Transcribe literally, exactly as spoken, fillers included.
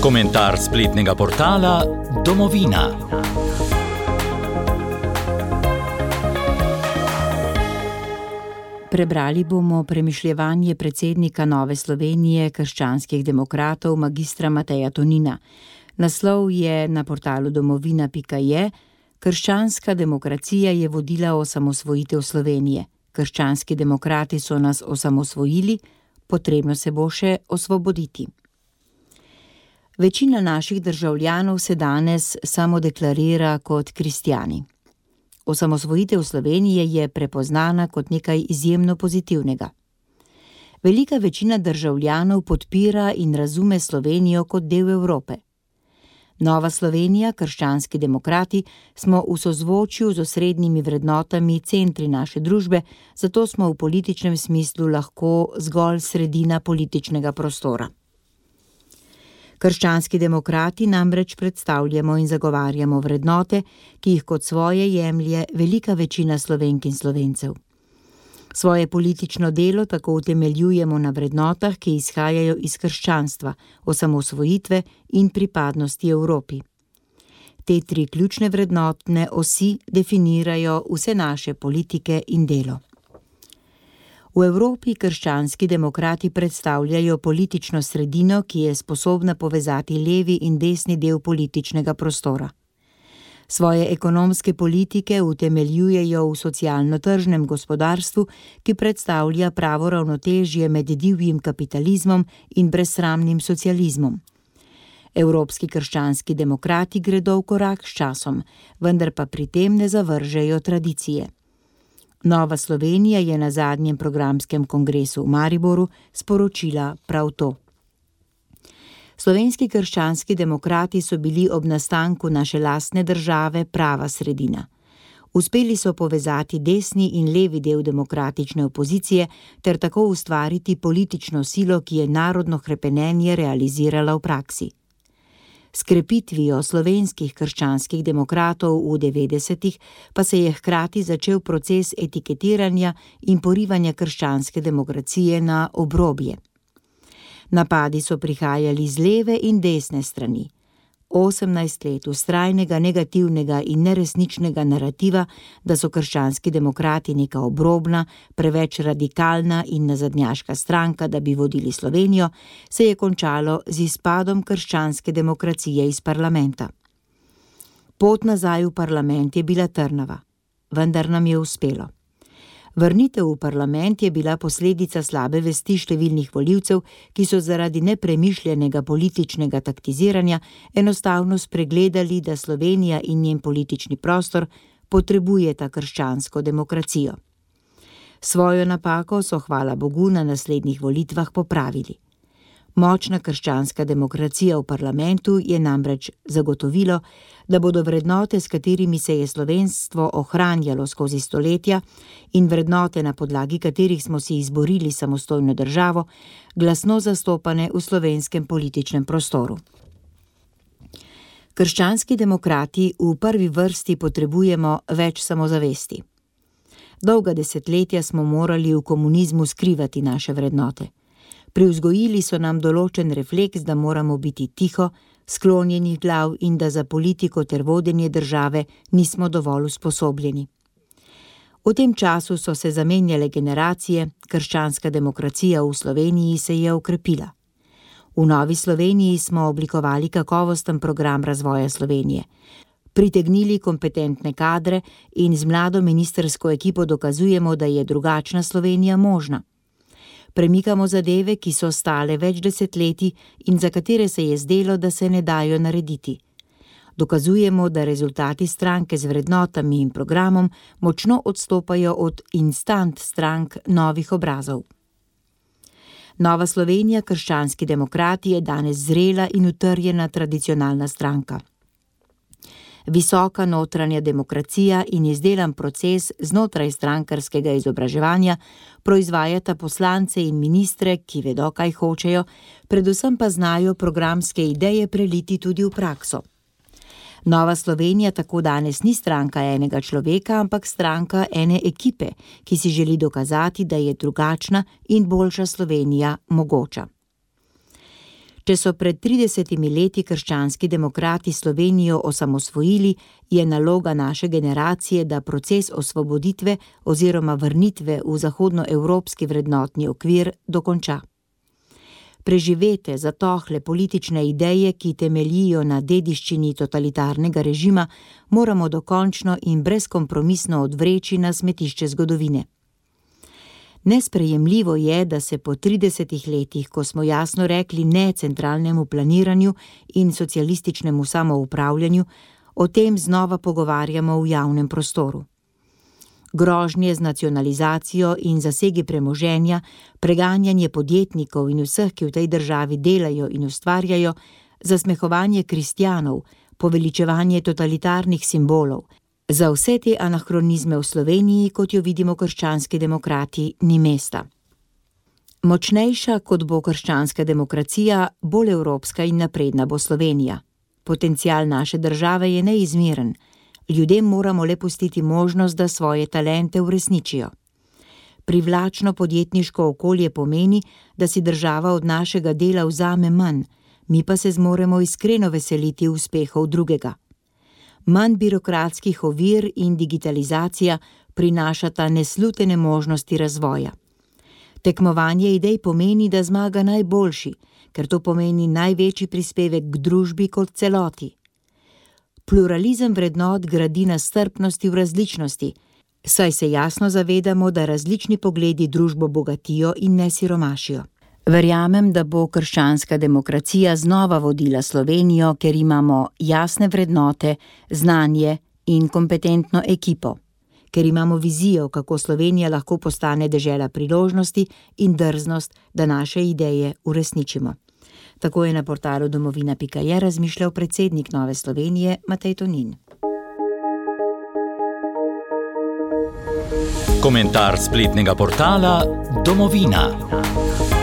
Komentar spletnega portala Domovina. Prebrali bomo premišljevanje predsednika Nove Slovenije krščanskih demokratov magistra Mateja Tonina. Naslov je na portalu domovina pika je: Krščanska demokracija je vodila osamosvojitev Slovenije. Krščanski demokrati so nas osamosvojili, potrebno se bo še osvoboditi. Večina naših državljanov se danes samodeklarira kot kristjani. Osamosvojitev Slovenije je prepoznana kot nekaj izjemno pozitivnega. Velika večina državljanov podpira in razume Slovenijo kot del Evrope. Nova Slovenija, krščanski demokrati, smo v sozvočju z osrednjimi vrednotami centri naše družbe, zato smo v političnem smislu lahko zgolj sredina političnega prostora. Krščanski demokrati namreč predstavljamo in zagovarjamo vrednote, ki jih kot svoje jemlje velika večina Slovenk in Slovencev. Svoje politično delo tako utemeljujemo na vrednotah, ki izhajajo iz krščanstva, osamosvojitve in pripadnosti Evropi. Te tri ključne vrednotne osi definirajo vse naše politike in delo. V Evropi krščanski demokrati predstavljajo politično sredino, ki je sposobna povezati levi in desni del političnega prostora. Svoje ekonomske politike utemeljujejo v socialno-tržnem gospodarstvu, ki predstavlja pravo ravnotežje med divjim kapitalizmom in brezsramnim socializmom. Evropski krščanski demokrati gredo v korak s časom, vendar pa pri tem ne zavržejo tradicije. Nova Slovenija je na zadnjem programskem kongresu v Mariboru sporočila prav to. Slovenski krščanski demokrati so bili ob nastanku naše lastne države prava sredina. Uspeli so povezati desni in levi del demokratične opozicije ter tako ustvariti politično silo, ki je narodno hrepenenje realizirala v praksi. S krepitvijo slovenskih krščanskih demokratov v devetdesetih pa se je hkrati začel proces etiketiranja in porivanja krščanske demokracije na obrobje. Napadi so prihajali z leve in desne strani. osemnajst let vztrajnega negativnega in neresničnega narativa, da so krščanski demokrati neka obrobna, preveč radikalna in nazadnjaška stranka, da bi vodili Slovenijo, se je končalo z izpadom krščanske demokracije iz parlamenta. Pot nazaj v parlament je bila trnava, vendar nam je uspelo. Vrnitev v parlament je bila posledica slabe vesti številnih volivcev, ki so zaradi nepremišljenega političnega taktiziranja enostavno spregledali, da Slovenija in njen politični prostor potrebujeta krščansko demokracijo. Svojo napako so, hvala Bogu, na naslednjih volitvah popravili. Močna krščanska demokracija v parlamentu je namreč zagotovilo, da bodo vrednote, s katerimi se je slovenstvo ohranjalo skozi stoletja in vrednote, na podlagi katerih smo si izborili samostojno državo, glasno zastopane v slovenskem političnem prostoru. Krščanski demokrati v prvi vrsti potrebujemo več samozavesti. Dolga desetletja smo morali v komunizmu skrivati naše vrednote. Privzgojili so nam določen refleks, da moramo biti tiho, sklonjenih glav in da za politiko ter vodenje države nismo dovolj usposobljeni. V tem času so se zamenjale generacije, krščanska demokracija v Sloveniji se je okrepila. V Novi Sloveniji smo oblikovali kakovosten program razvoja Slovenije. Pritegnili kompetentne kadre in z mlado ministrsko ekipo dokazujemo, da je drugačna Slovenija možna. Premikamo zadeve, ki so stale več desetletij in za katere se je zdelo, da se ne dajo narediti. Dokazujemo, da rezultati stranke z vrednotami in programom močno odstopajo od instant strank novih obrazov. Nova Slovenija, krščanski demokrati, je danes zrela in utrjena tradicionalna stranka. Visoka notranja demokracija in izdelan proces znotraj strankarskega izobraževanja proizvajata poslance in ministre, ki vedo, kaj hočejo, predvsem pa znajo programske ideje preliti tudi v prakso. Nova Slovenija tako danes ni stranka enega človeka, ampak stranka ene ekipe, ki si želi dokazati, da je drugačna in boljša Slovenija mogoča. Če so pred tridesetimi leti krščanski demokrati Slovenijo osamosvojili, je naloga naše generacije, da proces osvoboditve oziroma vrnitve v zahodnoevropski vrednotni okvir dokonča. Preživete, zatohle politične ideje, ki temeljijo na dediščini totalitarnega režima, moramo dokončno in brezkompromisno odvreči na smetišče zgodovine. Nesprejemljivo je, da se po tridesetih letih, ko smo jasno rekli ne centralnemu planiranju in socialističnemu samoupravljanju, o tem znova pogovarjamo v javnem prostoru. Grožnje z nacionalizacijo in zasegi premoženja, preganjanje podjetnikov in vseh, ki v tej državi delajo in ustvarjajo, zasmehovanje kristjanov, poveličevanje totalitarnih simbolov, za vse te anahronizme v Sloveniji, kot jo vidimo krščanski demokrati, ni mesta. Močnejša, kot bo krščanska demokracija, bolj evropska in napredna bo Slovenija. Potencial naše države je neizmeren. Ljudem moramo le pustiti možnost, da svoje talente uresničijo. Privlačno podjetniško okolje pomeni, da si država od našega dela vzame manj, mi pa se zmoremo iskreno veseliti uspehov drugega. Manj birokratskih ovir in digitalizacija prinašata neslutene možnosti razvoja. Tekmovanje idej pomeni, da zmaga najboljši, ker to pomeni največji prispevek k družbi kot celoti. Pluralizem vrednot gradi na strpnosti v različnosti, saj se jasno zavedamo, da različni pogledi družbo bogatijo in ne siromašijo. Verjamem, da bo krščanska demokracija znova vodila Slovenijo, ker imamo jasne vrednote, znanje in kompetentno ekipo. Ker imamo vizijo, kako Slovenija lahko postane dežela priložnosti in drznost, da naše ideje uresničimo. Tako je na portalu domovina pika je razmišljal predsednik Nove Slovenije Matej Tonin. Komentar spletnega portala Domovina.